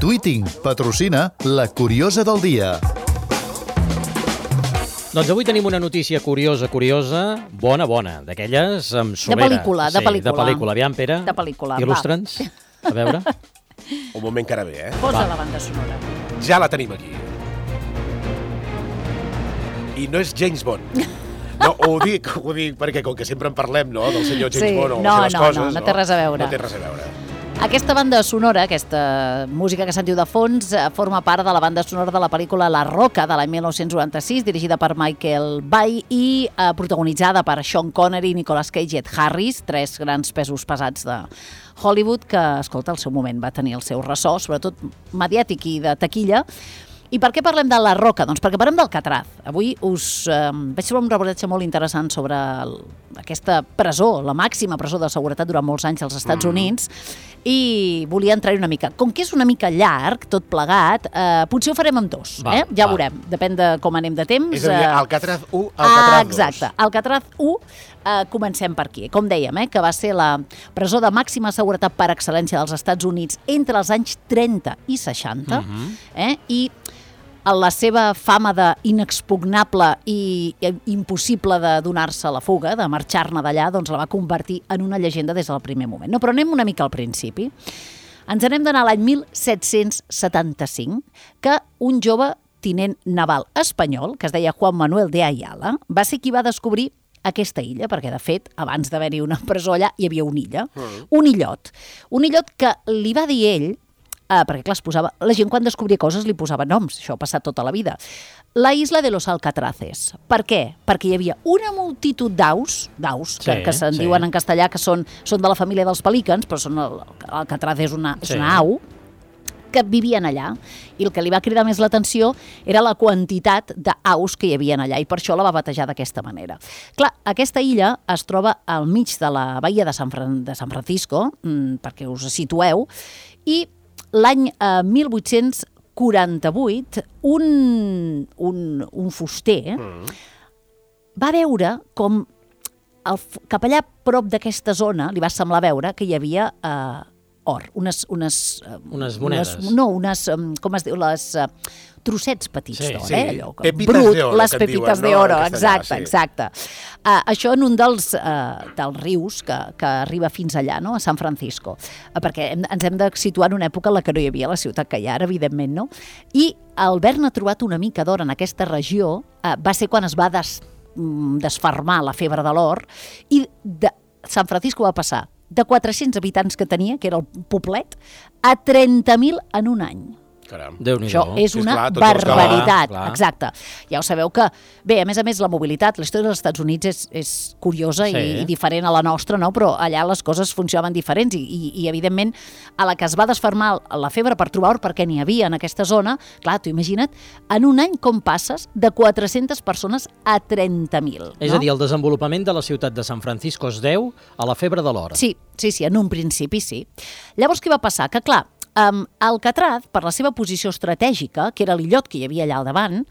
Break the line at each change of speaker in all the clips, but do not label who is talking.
Tweeting patrocina La Curiosa del Dia.
Doncs avui tenim una notícia curiosa, bona, d'aquelles amb somera.
De pel·lícula.
Aviam, Pere,
de pel·lícula.
Il·lustra'ns, a veure.
Un moment que ara ve,
Posa la banda sonora.
Ja la tenim aquí. I no és James Bond. No, ho dic perquè com que sempre en parlem, no?, del senyor James Bond o les seves coses.
No té res a veure.
No té res a veure.
Aquesta banda sonora, aquesta música que sentiu de fons, forma part de la banda sonora de la pel·lícula La Roca, de l'any 1996, dirigida per Michael Bay i protagonitzada per Sean Connery, Nicolas Cage i Ed Harris, tres grans pesos pesats de Hollywood que, escolta, al seu moment va tenir el seu ressò, sobretot mediàtic i de taquilla. I per què parlem de La Roca? Doncs perquè parlem d'Alcatraz. Avui vaig trobar un reportatge molt interessant sobre aquesta presó, la màxima presó de seguretat durant molts anys als Estats Units, i volia entrar-hi una mica. Com que és una mica llarg, tot plegat, potser ho farem amb dos. Ja veurem, depèn de com anem de temps.
És a dir, Alcatraz 1, Alcatraz 2.
Exacte, Alcatraz 1, comencem per aquí. Com dèiem, que va ser la presó de màxima seguretat per excel·lència dels Estats Units entre els anys 30 i 60, i la seva fama d'inexpugnable i impossible de donar-se a la fuga, de marxar-ne d'allà, doncs la va convertir en una llegenda des del primer moment. No, però anem una mica al principi. Ens n'hem d'anar a l'any 1775, que un jove tinent naval espanyol, que es deia Juan Manuel de Ayala, va ser qui va descobrir aquesta illa, perquè de fet, abans d'haver-hi una presó allà, hi havia una illa, un illot que li va dir ell, perquè clar, es posava, la gent quan descobria coses li posava noms, això ha passat tota la vida. La isla de los Alcatraces. Per què? Perquè hi havia una multitud d'aus, que se'n diuen en castellà que són de la família dels pelícans, però l'Alcatraz és una au, que vivien allà, i el que li va cridar més l'atenció era la quantitat d'aus que hi havia allà, i per això la va batejar d'aquesta manera. Clar, aquesta illa es troba al mig de la bahia de San Francisco, perquè us situeu, i l'any 1848, un fuster va veure com cap allà prop d'aquesta zona li va semblar veure que hi havia or, unes monedes. Com es diu, trossets petits d'or, allò, brut, les pepites d'oro, exacte. Això en un dels rius que arriba fins allà, no?, a San Francisco, perquè ens hem de situar en una època en la que no hi havia la ciutat que hi ha ara, evidentment, no? I al haver-ne trobat una mica d'or en aquesta regió va ser quan es va desfermar la febre de l'or, i de San Francisco va passar de 400 habitants que tenia, que era el poblet, a 30.000 en un any. Això és una barbaritat, exacte. Ja ho sabeu que, bé, a més, la mobilitat, la història dels Estats Units és curiosa i diferent a la nostra, no? Però allà les coses funcionaven diferents i evidentment, a la que es va desfermar la febre per trobar or, perquè n'hi havia en aquesta zona, clar, tu imagina't, en un any com passes de 400 persones a 30.000.
És a dir, el desenvolupament de la ciutat de San Francisco es deu a la febre de l'or.
Sí, en un principi sí. Llavors, què va passar? Que, clar, Alcatraz, per la seva posició estratègica, que era l'illot que hi havia allà al davant,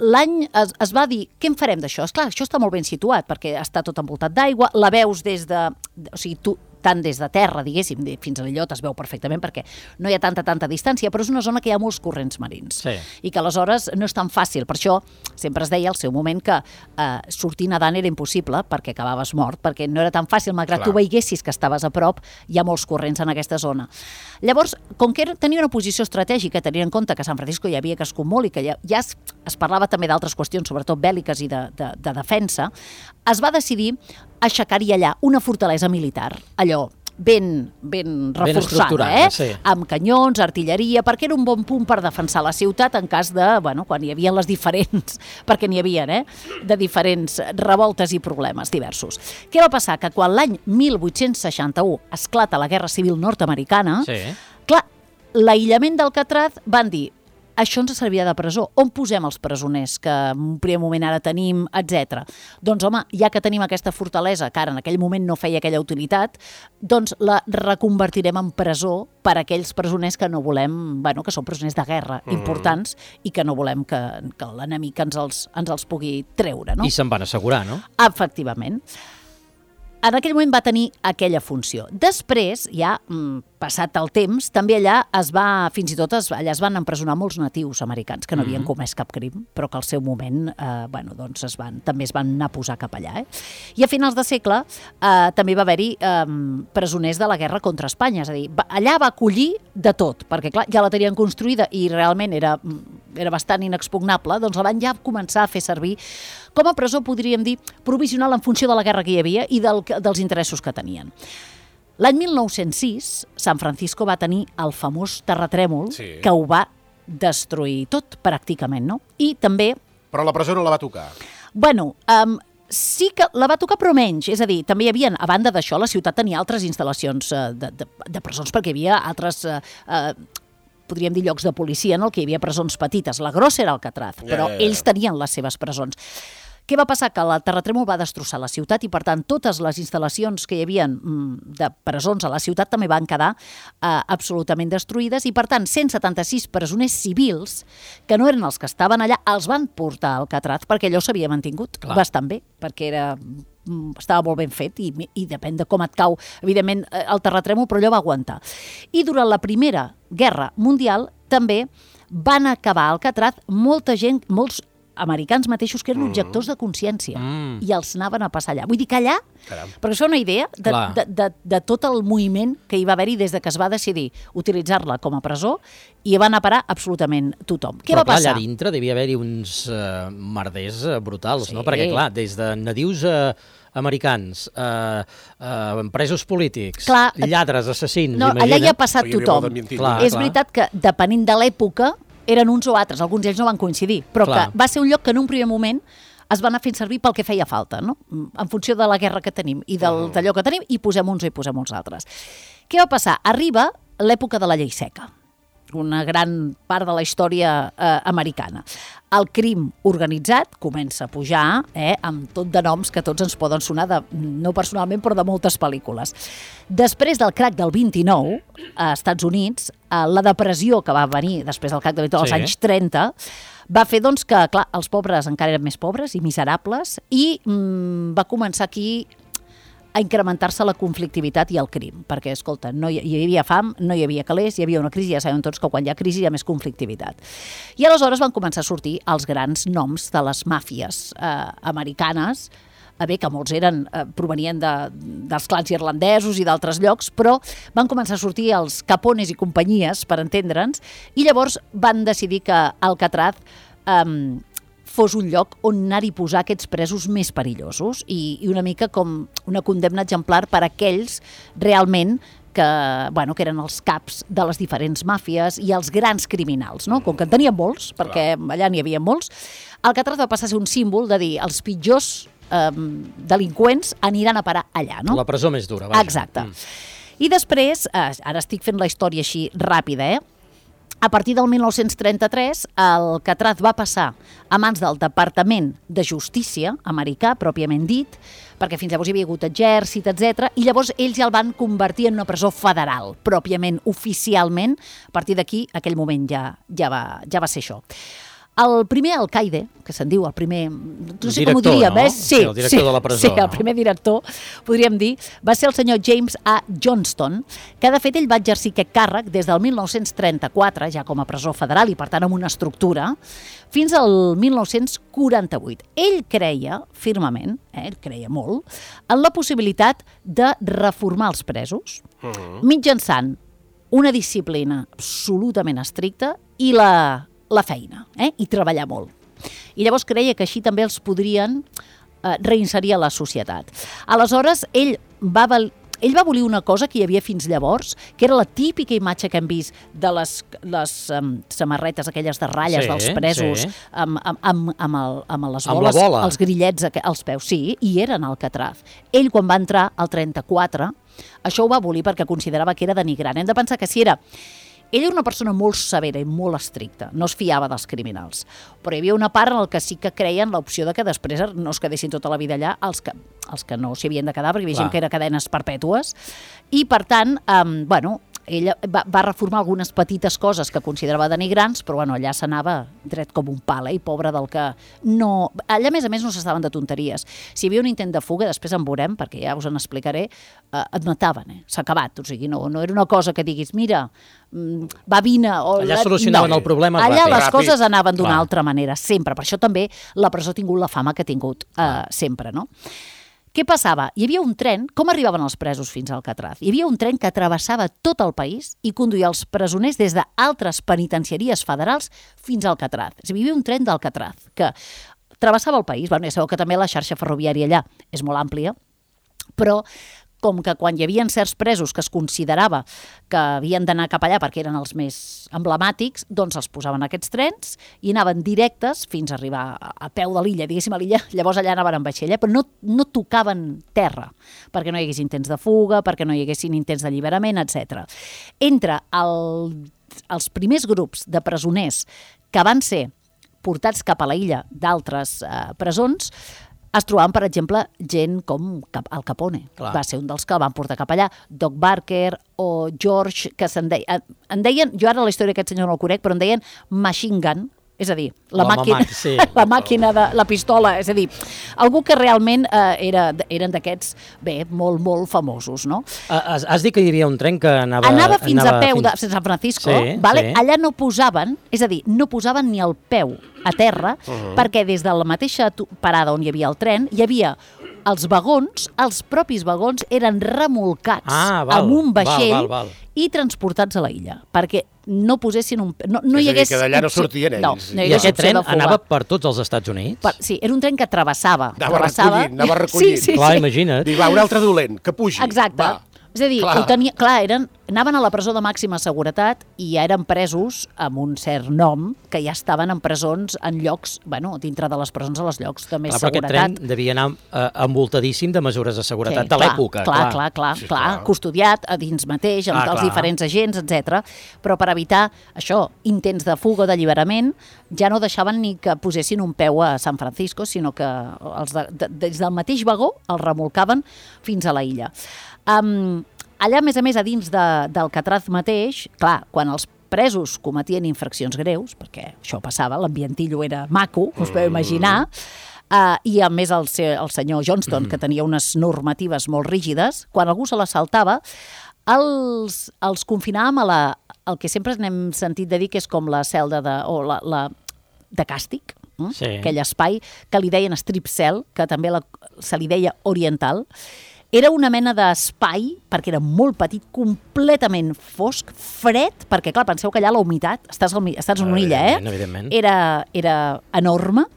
l'any es va dir, què en farem d'això? Esclar, això està molt ben situat, perquè està tot envoltat d'aigua, la veus des de... O sigui, tant des de terra, diguéssim, fins a l'illot es veu perfectament, perquè no hi ha tanta distància, però és una zona que hi ha molts corrents marins. I que aleshores no és tan fàcil. Per això sempre es deia al seu moment que sortir nedant era impossible, perquè acabaves mort, perquè no era tan fàcil, malgrat tu veiessis que estaves a prop, hi ha molts corrents en aquesta zona. Llavors, com que tenia una posició estratègica, tenint en compte que a San Francisco hi havia crescut molt i que ja es parlava també d'altres qüestions, sobretot bèl·liques i de defensa, es va decidir aixecar-hi allà una fortalesa militar, allò ben reforçada, amb canyons, artilleria, perquè era un bon punt per defensar la ciutat en cas de, quan hi havia les diferents, perquè n'hi havia, de diferents revoltes i problemes diversos. Què va passar? Que quan l'any 1861 esclata la Guerra Civil nord-americana, clar, l'aïllament d'Alcatraz van dir, això ens servirà de presó. On posem els presoners que en un primer moment ara tenim, etc. Doncs, home, ja que tenim aquesta fortalesa, que ara en aquell moment no feia aquella utilitat, doncs la reconvertirem en presó per a aquells presoners que no volem, que són presoners de guerra importants i que no volem que l'enemic ens els pugui treure, no?
I se'n van assegurar, no?
Efectivament. en aquell moment va tenir aquella funció. Després, ja passat el temps, també allà fins i tot allà es van empresonar molts natius americans que no havien comès cap crim, però que al seu moment doncs també es van anar a posar cap allà. I a finals de segle també va haver-hi presoners de la guerra contra Espanya, és a dir, allà va acollir de tot, perquè clar, ja la tenien construïda i realment era bastant inexpugnable, doncs la van ja començar a fer servir com a presó, podríem dir, provisional en funció de la guerra que hi havia i dels interessos que tenien. L'any 1906, San Francisco va tenir el famós terratrèmol que ho va destruir tot, pràcticament, no? I també...
Però la presó no la va tocar.
Bueno, sí que la va tocar, però menys. És a dir, també hi havia, a banda d'això, la ciutat tenia altres instal·lacions de presons, perquè hi havia altres... podríem dir llocs de policia en el que hi havia presons petites. La grossa era Alcatraz, però ells tenien les seves presons. Què va passar? Que el terratrèmol va destrossar la ciutat i, per tant, totes les instal·lacions que hi havia de presons a la ciutat també van quedar absolutament destruïdes i, per tant, 176 presoners civils, que no eren els que estaven allà, els van portar a Alcatraz perquè allò s'havia mantingut bastant bé, perquè estava molt ben fet i depèn de com et cau, evidentment, el terratrèmol, però allò va aguantar. I durant la Primera Guerra Mundial també van acabar a Alcatraz molta gent, molts americans mateixos que eren objectors de consciència i els anaven a passar allà. Vull dir que allà, perquè això és una idea de tot el moviment que hi va haver-hi des de que es va decidir utilitzar-la com a presó i hi va anar a parar absolutament tothom. Què va passar?
Allà dintre devia haver-hi uns merders brutals, no? Perquè, clar, des de nadius americans, presos polítics, lladres, assassins...
No, allà hi ha passat tothom. És veritat que, depenent de l'època, eren uns o altres, alguns d'ells no van coincidir, però que va ser un lloc que en un primer moment es va anar fent servir pel que feia falta, no? En funció de la guerra que tenim i d'allò que tenim, i posem uns i posem uns altres. Què va passar? Arriba l'època de la llei seca, una gran part de la història americana. El crim organitzat comença a pujar, amb tot de noms que tots ens poden sonar, no personalment, però de moltes pel·lícules. Després del crac del 29, a Estats Units, la depressió que va venir després del crac del 29, als anys 30, va fer doncs, que, clar, els pobres encara eren més pobres i miserables, i va començar aquí a incrementar-se la conflictivitat i el crim, perquè, escolta, hi havia fam, no hi havia calés, hi havia una crisi, ja sabem tots que quan hi ha crisi hi ha més conflictivitat. I aleshores van començar a sortir els grans noms de les màfies americanes, que molts provenien dels clans irlandesos i d'altres llocs, però van començar a sortir els Capones i companyies, per entendre'ns, i llavors van decidir que Alcatraz fos un lloc on anar-hi posar aquests presos més perillosos i una mica com una condemna exemplar per a aquells realment que eren els caps de les diferents màfies i els grans criminals, no? Com que en tenien molts, perquè allà n'hi havia molts, Alcatraz va passar a ser un símbol de dir els pitjors delinqüents aniran a parar allà, no?
La presó més dura, vaja.
Exacte. I després, ara estic fent la història així ràpida, a partir del 1933, Alcatraz va passar a mans del Departament de Justícia americà, pròpiament dit, perquè fins llavors hi havia hagut exèrcit, etc. I llavors ells ja el van convertir en una presó federal, pròpiament, oficialment. A partir d'aquí, aquell moment ja va ser això. El primer alcaide, que se'n diu el primer... No sé com ho diríem,
no?
Sí,
el director de la presó.
Sí, el primer director, podríem dir, va ser el senyor James A. Johnston, que de fet ell va exercir aquest càrrec des del 1934, ja com a presó federal i per tant amb una estructura, fins al 1948. Ell creia firmament, ell creia molt, en la possibilitat de reformar els presos mitjançant una disciplina absolutament estricta i la feina, i treballar molt. I llavors creia que així també els podrien reinserir a la societat. Aleshores, ell va abolir una cosa que hi havia fins llavors, que era la típica imatge que hem vist de les samarretes aquelles de ratlles dels presos amb les boles, els grillets als peus, sí, i eren Alcatraz. Ell, quan va entrar al 34, això ho va abolir perquè considerava que era denigrant. Hem de pensar que si era... Ell era una persona molt severa i molt estricta, no es fiava dels criminals, però hi havia una part en què sí que creien l'opció de que després no es quedessin tota la vida allà els que no s'hi havien de quedar, perquè hi havia gent que era cadenes perpètues, i per tant, ella va reformar algunes petites coses que considerava denigrants, però bueno, allà s'anava dret com un pal, i pobre del que no... Allà, a més, no s'estaven de tonteries. Si hi havia un intent de fuga, després en veurem, perquè ja us en explicaré, et mataven, s'ha acabat. O sigui, no era una cosa que diguis, mira, va, vine...
Allà solucionaven el problema ràpid.
Allà les coses anaven d'una altra manera, sempre. Per això també la presó ha tingut la fama que ha tingut sempre, no? Què passava? Hi havia un tren, com arribaven els presos fins a Alcatraz? Hi havia un tren que travessava tot el país i conduïa els presoners des d'altres penitenciaries federals fins a Alcatraz. Hi havia un tren d'Alcatraz que travessava el país. Bueno, ja sabeu que també la xarxa ferroviària allà és molt àmplia, però com que quan hi havia certs presos que es considerava que havien d'anar cap allà perquè eren els més emblemàtics, doncs els posaven aquests trens i anaven directes fins a arribar a peu de l'illa, diguéssim a l'illa, llavors allà anaven en vaixella, però no tocaven terra, perquè no hi hagués intents de fuga, perquè no hi haguessin intents d'alliberament, etc. Entre els primers grups de presoners que van ser portats cap a la illa d'altres presons, es trobaven, per exemple, gent com Al Capone. Clar. Va ser un dels que el van portar cap allà. Doc Barker o George, que en deien, jo ara la història d'aquest senyor no el conec, però en deien Machine Gun, és a dir, la màquina de la pistola, és a dir, algú que realment eren d'aquests, molt, molt famosos, no?
Has dit que hi havia un tren que
anava fins a peu de San Francisco, vale? Sí. Allà no posaven, és a dir, no posaven ni el peu a terra, perquè des de la mateixa parada on hi havia el tren, hi havia els vagons, els propis vagons eren remolcats amb un vaixell i transportats a la illa, perquè no posessin un... No hi hagués...
És a dir, que d'allà no sortien ells.
I aquest tren anava per tots els Estats Units?
Sí, era un tren que travessava.
Anava recollint.
Sí.
Clar, imagina't.
Dic, va, un altre dolent, que pugi.
Exacte. És a dir, anaven a la presó de màxima seguretat i ja eren presos amb un cert nom, que ja estaven en presons en llocs, dintre de les presons a els llocs de més seguretat.
Però aquest tren devia anar envoltadíssim de mesures de seguretat de l'època.
Clar, custodiat a dins mateix, amb els diferents agents, etc. Però per evitar això, intents de fuga o d'alliberament, ja no deixaven ni que posessin un peu a San Francisco, sinó que des del mateix vagó els remolcaven fins a la illa. Allà, a més, a dins d'Alcatraz mateix, clar, quan els presos cometien infraccions greus, perquè això passava, l'ambientillo era maco, us podeu imaginar, i a més el senyor Johnston, que tenia unes normatives molt rígides, quan algú se l'assaltava, els confinàvem el que sempre n'hem sentit de dir que és com la celda de càstig, aquell espai que li deien strip cell, que també se li deia oriental. Era una mena d'espai, perquè era molt petit, completament fosc, fred, perquè, clar, penseu que allà la humitat, estàs en una illa,
evidentment.
Era enorme.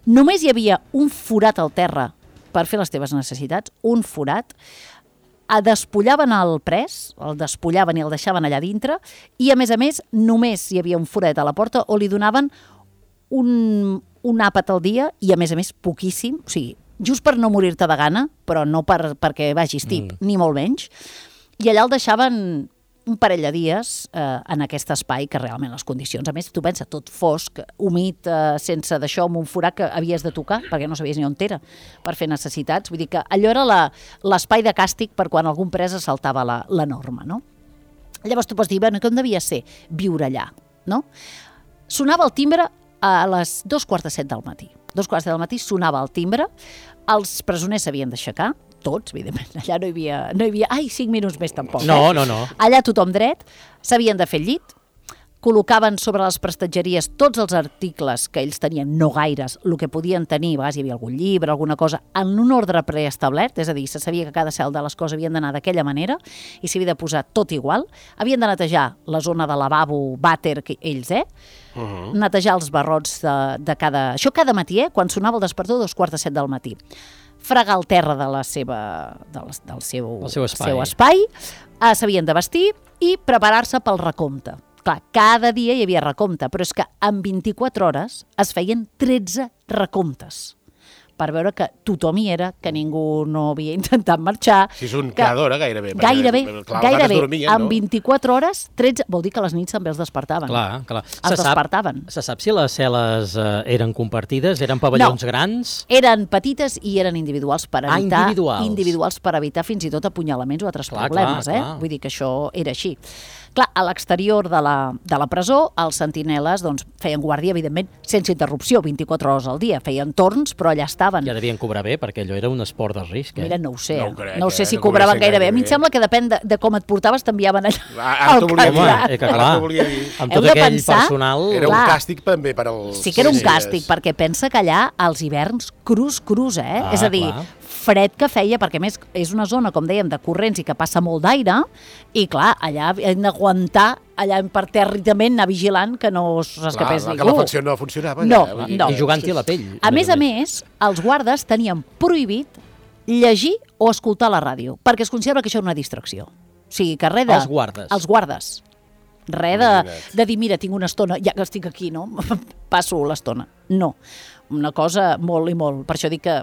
Només hi havia un forat al terra per fer les teves necessitats, un forat. Despullaven el pres, el despullaven i el deixaven allà dintre, i, a més, només hi havia un forat a la porta o li donaven un àpat al dia i, a més, poquíssim, o sigui, just per no morir-te de gana, però no perquè vagis tip, ni molt menys. I allà el deixaven un parell de dies en aquest espai, que realment les condicions, a més, tu pensa, tot fosc, humit, sense d'això, amb un forat que havies de tocar, perquè no sabies ni on era, per fer necessitats. Vull dir que allò era l'espai de càstig per quan algun pres saltava la norma, no? Llavors tu pots dir, com devia ser viure allà, no? Sonava el timbre a les 2:45 del matí. 2:15 del matí sonava el timbre, els presoners s'havien d'aixecar, tots, evidentment, allà no hi havia 5 minuts més tampoc.
No.
Allà tothom dret, s'havien de fer el llit, col·locaven sobre les prestatgeries tots els articles que ells tenien, no gaires, el que podien tenir, a vegades hi havia algun llibre, alguna cosa, en un ordre preestablert, és a dir, se sabia que cada celda les coses havien d'anar d'aquella manera i s'havia de posar tot igual, havien de netejar la zona de lavabo, vàter, que ells, netejar els barrots de cada... Això cada matí, quan sonava el despertador, 2:45 del matí. Fregar el terra del seu espai, s'havien de vestir i preparar-se pel recompte. Clar, cada dia hi havia recompte, però és que en 24 hores es feien 13 recomptes. per veure que tothom hi era, que ningú no havia intentat marxar.
Si és un cada hora, gairebé.
Gairebé, en 24 hores, 13, vol dir que a les nits també els despertaven.
Clar.
Els despertaven.
Se sap si les cel·les eren compartides? Eren pavellons grans?
Eren petites i eren individuals per evitar...
individuals
per evitar fins i tot apunyalaments o altres problemes. Vull dir que això era així. Clar, a l'exterior de la presó, els sentineles feien guàrdia, evidentment, sense interrupció, 24 hores al dia. Feien torns, però allà estaven.
Ja devien cobrar bé, perquè allò era un esport de risc.
Mira, no ho sé. No sé si cobraven gaire bé. A mi em sembla que depèn de com et portaves, t'enviaven allà
al candidat.
Amb tot aquell personal...
Era un càstig també per als...
Sí que era un càstig, perquè pensa que allà els hiverns crus, és a dir, fred que feia, perquè més és una zona, com dèiem, de corrents i que passa molt d'aire, i clar, allà hem d'aguantar allà per territament, anar vigilant que no s'escapés ningú.
Que la facció no funcionava.
No.
I jugant-hi a la pell.
A més, els guardes tenien prohibit llegir o escoltar la ràdio, perquè es considera que això era una distracció. O sigui, que res de... Els guardes. Res de dir, mira, tinc una estona, ja que estic aquí, no? Passo l'estona. No. Una cosa molt i molt. Per això dic que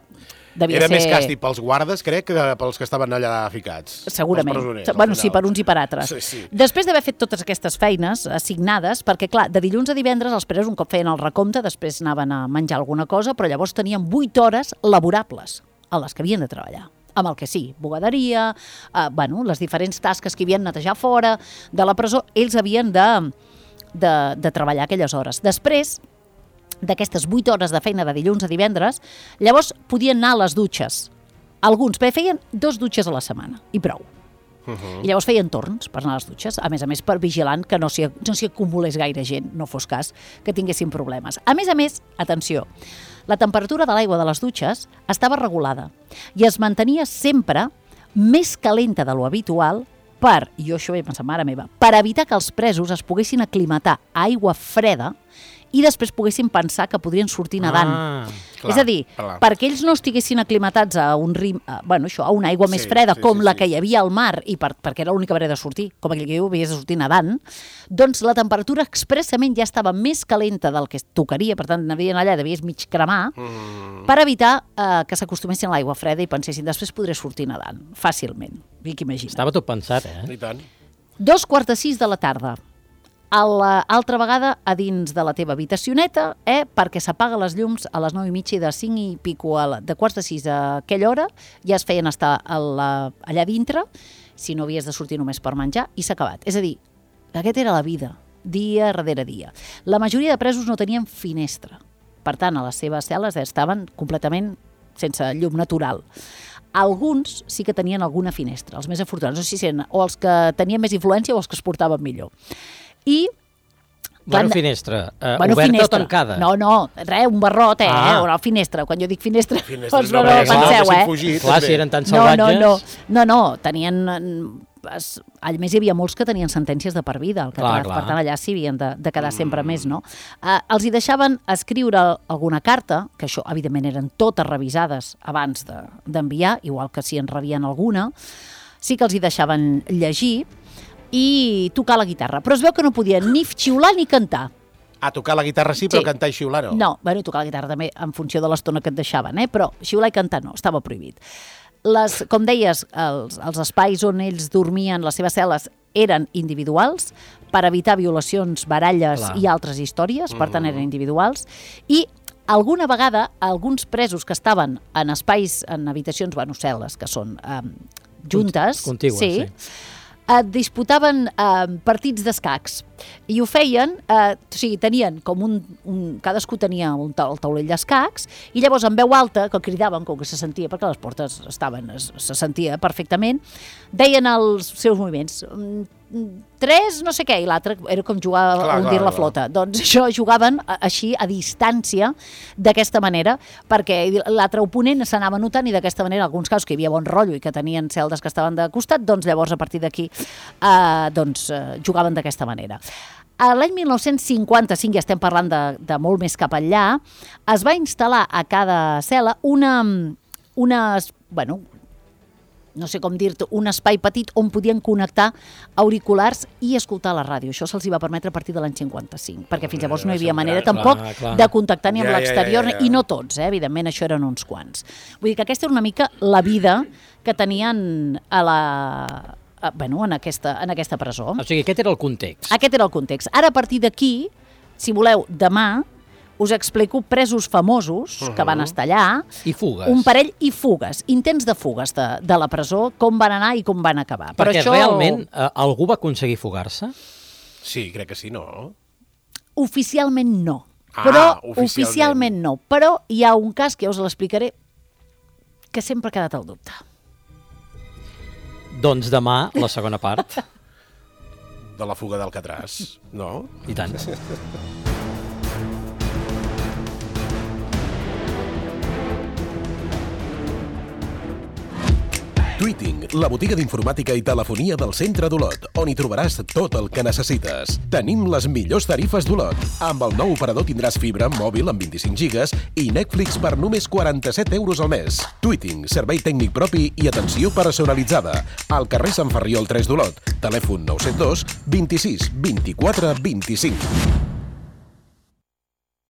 era més càstig pels guardes, crec, que pels que estaven allà ficats.
Segurament. Sí, per uns i per altres.
Sí.
Després d'haver fet totes aquestes feines assignades, perquè clar, de dilluns a divendres els presos un cop feien el recompte, després anaven a menjar alguna cosa, però llavors tenien 8 hores laborables a les que havien de treballar. Amb el que sí, bugaderia, les diferents tasques que havien de netejar fora de la presó, ells havien de treballar aquelles hores. Després d'aquestes 8 hores de feina de dilluns a divendres, llavors podien anar a les dutxes. Alguns feien 2 dutxes a la setmana, i prou. I llavors feien torns per anar a les dutxes, a més per vigilant que no s'hi acumulés gaire gent, no fos cas que tinguessin problemes. A més, atenció, la temperatura de l'aigua de les dutxes estava regulada i es mantenia sempre més calenta de lo habitual jo això ho he pensat, mare meva, per evitar que els presos es poguessin aclimatar a aigua freda i després poguessin pensar que podrien sortir nedant. És a dir, perquè ells no estiguessin aclimatats a una aigua més freda, com la que hi havia al mar, i perquè era l'única manera de sortir, com aquell que havies de sortir nedant, doncs la temperatura expressament ja estava més calenta del que tocaria, per tant, anaven allà, devies mig cremar, per evitar que s'acostumessin a l'aigua freda i pensessin, després podré sortir nedant, fàcilment.
Estava tot pensat,
I tant.
2:45 de la tarda. Altra vegada a dins de la teva habitacioneta, perquè s'apaga les llums a les 9:30 i de 5 i pico de 5:45 a aquella hora, ja es feien estar allà dintre, si no havies de sortir només per menjar, i s'ha acabat. És a dir, aquesta era la vida, dia darrere dia. La majoria de presos no tenien finestra, per tant, a les seves cel·les estaven completament sense llum natural. Alguns sí que tenien alguna finestra, els més afortunats, o els que tenien més influència o els que es portaven millor. I...
finestra, oberta o tancada?
No, res, un barrot, una finestra. Quan jo dic finestra,
no
penseu,
Clar, si eren tan salvatges...
No, tenien... A més, hi havia molts que tenien sentències de per vida, per tant, allà s'hi havien de quedar sempre més, no? Els hi deixaven escriure alguna carta, que això, evidentment, eren totes revisades abans d'enviar, igual que si en rebien alguna, sí que els hi deixaven llegir, i tocar la guitarra. Però es veu que no podien ni xiular ni cantar.
Tocar la guitarra sí, però cantar i xiular no?
No, tocar la guitarra també en funció de l'estona que et deixaven, però xiular i cantar no, estava prohibit. Com deies, els espais on ells dormien, les seves cel·les, eren individuals per evitar violacions, baralles i altres històries, per tant eren individuals, i alguna vegada alguns presos que estaven en espais, en habitacions, cel·les, que són juntes,
contigues, sí,
disputaven partits d'escacs i ho feien, tenien com cadascú tenia el taulell d'escacs i llavors en veu alta, que cridaven, com que se sentia, perquè les portes se sentia perfectament, deien els seus moviments, 3 no sé què, i l'altre era com jugar a hundir la flota. Doncs això jugaven així a distància d'aquesta manera, perquè l'altre oponent s'anava notant i d'aquesta manera, en alguns casos que hi havia bon rotllo i que tenien celdes que estaven de costat, doncs llavors a partir d'aquí jugaven d'aquesta manera. L'any 1955, ja estem parlant de molt més cap enllà, es va instal·lar a cada cel·la no sé com dir-te, un espai petit on podien connectar auriculars i escoltar la ràdio. Això se'ls va permetre a partir de l'any 55, perquè fins llavors no hi havia manera tampoc de contactar ni amb l'exterior, i no tots, evidentment, això eren uns quants. Vull dir que aquesta era una mica la vida que tenien en aquesta presó.
O sigui, aquest era el context.
Aquest era el context. Ara, a partir d'aquí, si voleu, demà us explico presos famosos que van estar allà.
I fugues.
Un parell i fugues, intents de fugues de la presó, com van anar i com van acabar.
Perquè realment algú va aconseguir fugar-se?
Sí, crec que sí, no?
Oficialment no. Oficialment no. Però hi ha un cas que ja us l'explicaré que sempre ha quedat al dubte.
Doncs demà, la segona part.
De la fuga d'Alcatraz, no?
I tant.
Tweeting, la botiga d'informàtica i telefonia del centre d'Olot, on hi trobaràs tot el que necessites. Tenim les millors tarifes d'Olot. Amb el nou operador tindràs fibra mòbil amb 25 gigas i Netflix per només 47 euros al mes. Tweeting, servei tècnic propi i atenció personalitzada. Al carrer Sant Ferriol 3 d'Olot. Telèfon 972 26 24 25.